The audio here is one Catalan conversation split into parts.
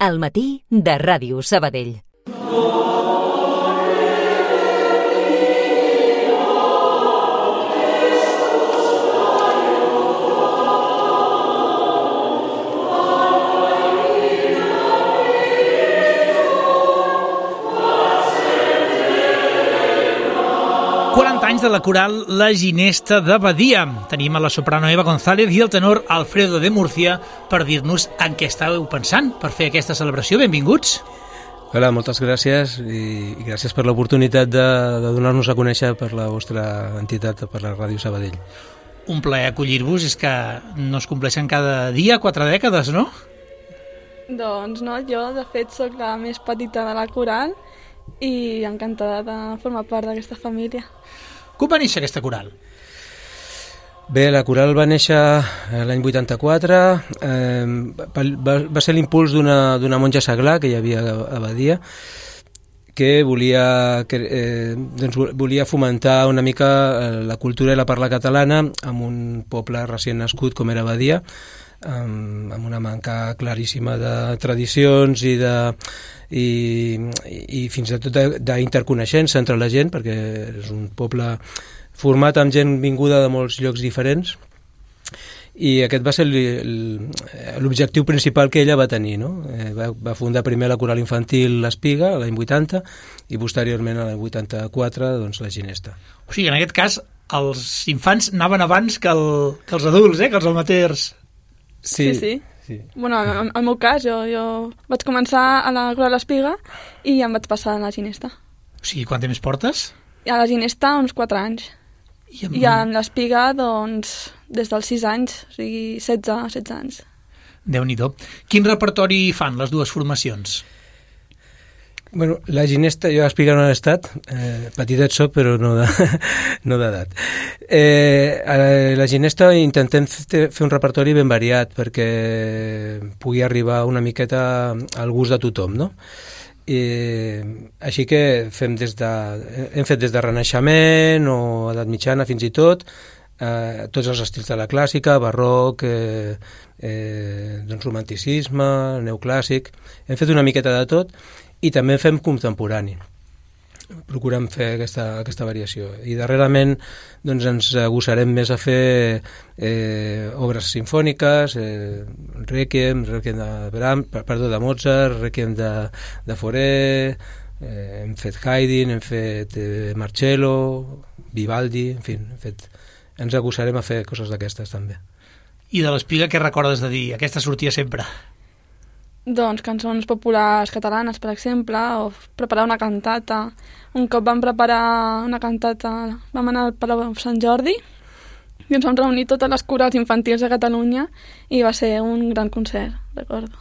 Al matí de Ràdio Sabadell. 40 anys de la coral La Ginesta de Badia. Tenim a la soprano Eva González i el tenor Alfredo de Murcia per dir-nos en què estàveu pensant per fer aquesta celebració. Benvinguts. Hola, moltes gràcies i gràcies per l'oportunitat de donar-nos a conèixer per la vostra entitat, per la Ràdio Sabadell. Un plaer acollir-vos, és que no es compleixen cada dia 4 dècades, no? Doncs no, jo de fet sóc la més petita de la coral i encantada de formar part d'aquesta família. Com va néixer aquesta coral? Bé, la coral va néixer l'any 84, va ser l'impuls d'una monja seglar que hi havia a Badia, que volia fomentar una mica la cultura i la parla catalana en un poble recient nascut com era Badia, amb una manca claríssima de tradicions i fins i tot d'interconeixença entre la gent, perquè és un poble format amb gent vinguda de molts llocs diferents, i aquest va ser l'objectiu principal que ella va tenir, no? Va fundar primer la coral infantil l'Espiga l'any 80 i posteriorment l'any 84 doncs, la Ginesta. O sigui, en aquest cas els infants anaven abans que els adults, que els amateurs. Sí. Bueno, en el meu cas, jo vaig començar a la coral l'Espiga i em vaig passar a la Ginesta. O sigui, quant temps portes? A la Ginesta uns 4 anys. I amb l'Espiga, doncs, des dels 6 anys, o sigui, 16 anys. Déu-n'hi-do. Quin repertori fan les dues formacions? Bueno, la Ginesta, jo a Espiga no he estat, petitet soc, però no d'edat. A la Ginesta intentem fer un repertori ben variat perquè pugui arribar una miqueta al gust de tothom, no? Així que hem fet des de Renaixement o edat mitjana fins i tot, tots els estils de la clàssica, barroc, doncs romanticisme, neoclàssic, hem fet una miqueta de tot i també fem contemporani. Procurem fer aquesta variació. I darrerament doncs, ens agosarem més a fer obres sinfòniques, Requiem de Mozart, Requiem de Fauré, hem fet Haydn, hem fet Marcello, Vivaldi, en fi, ens agosarem a fer coses d'aquestes també. I de l'Espiga què recordes de dir? Aquesta sortia sempre. Doncs cançons populars catalanes, per exemple, o preparar una cantata. Un cop vam preparar una cantata, vam anar al Palau Sant Jordi i ens vam reunir totes les corals infantils de Catalunya i va ser un gran concert, recordo.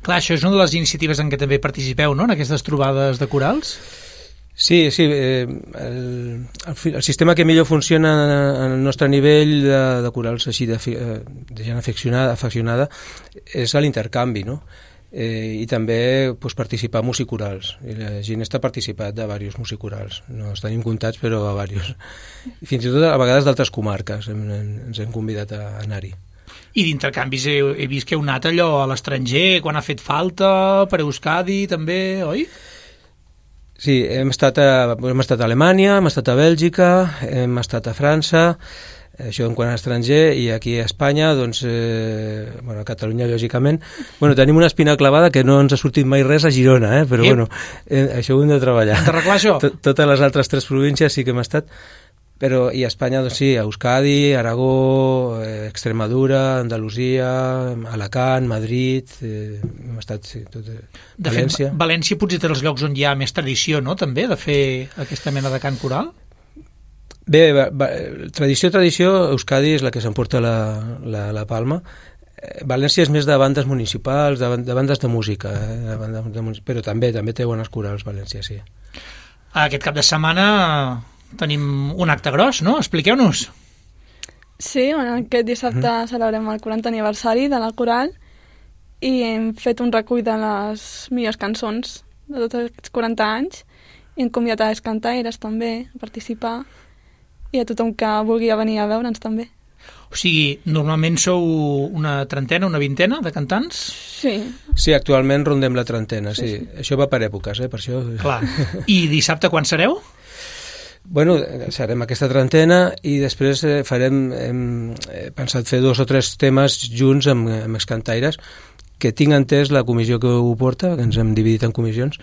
Clar, això és una de les iniciatives en què també participeu, no?, en aquestes trobades de corals? Sí, el sistema que millor funciona al nostre nivell de corals així de gent afeccionada és l'intercanvi, no? I també participar a musicorals. La Ginesta ha participat de diversos musicorals, no els tenim comptats però a diversos. Fins i tot a vegades d'altres comarques ens hem convidat a anar-hi. I d'intercanvis he vist que heu anat allò a l'estranger quan ha fet falta, per Euskadi també, oi? Sí, hem estat a Alemanya, hem estat a Bèlgica, hem estat a França, això en quant a estranger, i aquí a Espanya, doncs, a Catalunya, lògicament, tenim una espina clavada que no ens ha sortit mai res a Girona, però això ho hem de treballar. D'arreglar això? Totes les altres 3 províncies sí que hem estat, però i a Espanya, doncs sí, a Euskadi, Aragó, Extremadura, Andalusia, Alacant, Madrid, hem estat, sí, tot, València. De fet, València potser té els llocs on hi ha més tradició, no?, també, de fer aquesta mena de cant coral? Bé, tradició, Euskadi és la que s'emporta la palma. València és més de bandes municipals, de bandes de música, però també té bones corals, València, sí. Aquest cap de setmana tenim un acte gros, no? Expliqueu-nos. Sí, aquest dissabte celebrem el 40 aniversari de la coral i hem fet un recull de les millors cançons de tots aquests 40 anys i hem convidat a les cantaires també a participar i a tothom que vulgui venir a veure'ns també. O sigui, normalment sou una trentena, una vintena de cantants? Sí. Sí, actualment rondem la trentena, sí. Això va per èpoques, per això... Clar. I dissabte quan sereu? Bueno, serem aquesta trentena i després hem pensat fer 2 o 3 temes junts amb excantaires, que tinc entès la comissió que ho porta, que ens hem dividit en comissions,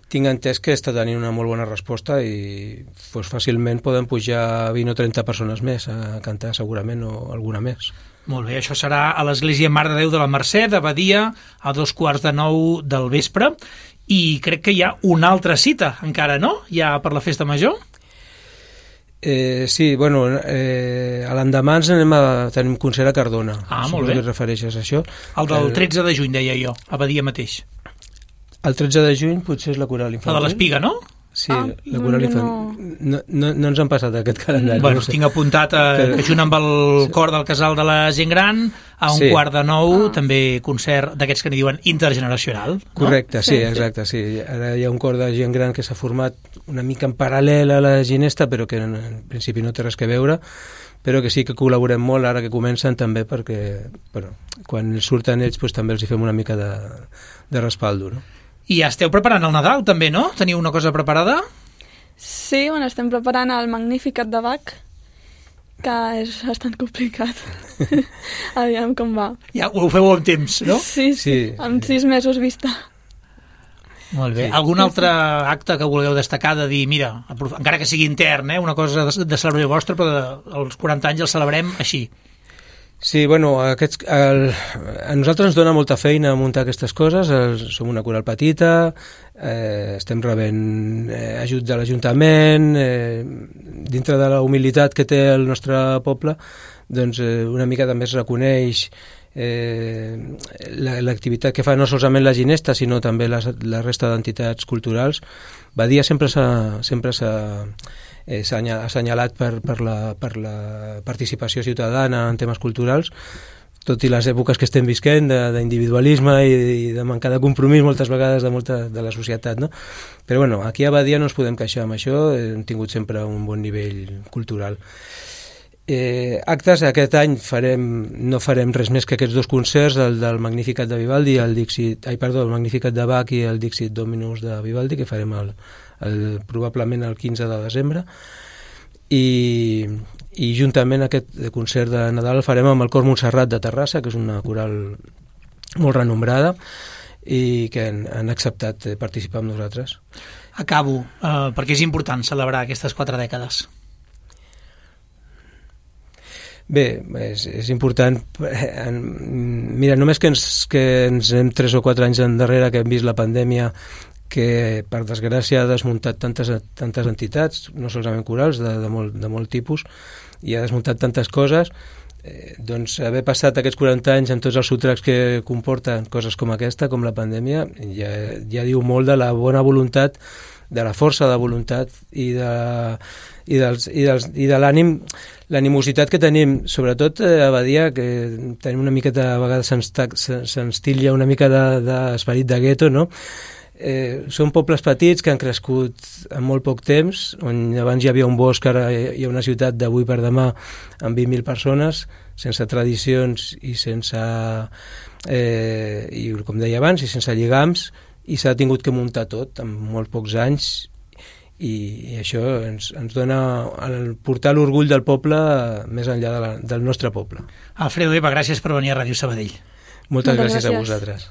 tinc entès que està tenint una molt bona resposta i fàcilment poden pujar 20 o 30 persones més a cantar segurament, o alguna més. Molt bé, això serà a l'Església Mare de Déu de la Mercè de Badia a 2:45 del vespre, i crec que hi ha una altra cita encara, no? Ja per la festa major? Sí, bueno, a l'endemà ens tenim concert a Cardona. Molt bé. Si et refereixes a això. El del 13 de juny, deia jo, a Badia mateix. El 13 de juny potser és la coral infantil. La de l'Espiga, no? Sí, la coral infantil. No ens han passat aquest calendari. Bueno, tinc apuntat que junt amb el cor del Casal de la Gent Gran, a 8:45, també concert d'aquests que n'hi diuen intergeneracional. Correcte, sí, exacte. Sí. Ara hi ha un cor de gent gran que s'ha format una mica en paral·lel a la ginesta, però que en principi no té res que veure, però que sí que col·laborem molt ara que comencen també, perquè quan surten ells també els hi fem una mica de respaldo, no? I ja esteu preparant el Nadal, també, no? Teniu una cosa preparada? Sí, estem preparant el Magnificat de Bach, que és bastant complicat. Aviam com va. Ja ho feu amb temps, no? Sí, amb 6 mesos vista. Molt bé. Sí. Algun altre acte que vulgueu destacar de dir, mira, encara que sigui intern, una cosa de celebració vostra, però als 40 anys el celebrem així? Sí, bueno, a nosaltres ens dona molta feina muntar aquestes coses, som una coral petita, estem rebent ajut de l'Ajuntament, dintre de la humilitat que té el nostre poble, doncs una mica també es reconeix l'activitat que fa no solament la ginesta, sinó també la resta d'entitats culturals. Badia sempre s'ha assenyalat per la participació ciutadana en temes culturals, tot i les èpoques que estem visquent d'individualisme i de mancar de compromís moltes vegades de la societat, no? Però bueno, aquí a Badia no ens podem queixar amb això, hem tingut sempre un bon nivell cultural. Actes, aquest any no farem res més que aquests 2 concerts, el del Magnificat de Vivaldi, el Magnificat de Bach i el Dixit Dominus de Vivaldi, que farem probablement el 15 de desembre, i juntament aquest concert de Nadal el farem amb el Cor Montserrat de Terrassa, que és una coral molt renombrada i que han acceptat participar amb nosaltres. Acabo, perquè és important celebrar aquestes 4 dècades. Bé, és important. Mira, només que ens hem 3 o 4 anys endarrere que hem vist la pandèmia, que per desgràcia ha desmuntat tantes entitats, no solament corals, de molt tipus, i ha desmuntat tantes coses, doncs haver passat aquests 40 anys amb tots els sotracs que comporten coses com aquesta, com la pandèmia, ja diu molt de la bona voluntat, de la força de voluntat i de l'animositat que tenim, sobretot a Badia, que tenim una miqueta, a vegades se'ns titlla una mica d'esperit de gueto, no? Són pobles petits que han crescut en molt poc temps, on abans hi havia un bosc, ara hi ha una ciutat d'avui per demà amb 20.000 persones, sense tradicions i sense, i com deia abans, i sense lligams, i s'ha tingut que muntar tot en molt pocs anys, i això ens dona portar l'orgull del poble més enllà del nostre poble. Alfredo Eva, gràcies per venir a Ràdio Sabadell. Moltes gràcies a vosaltres.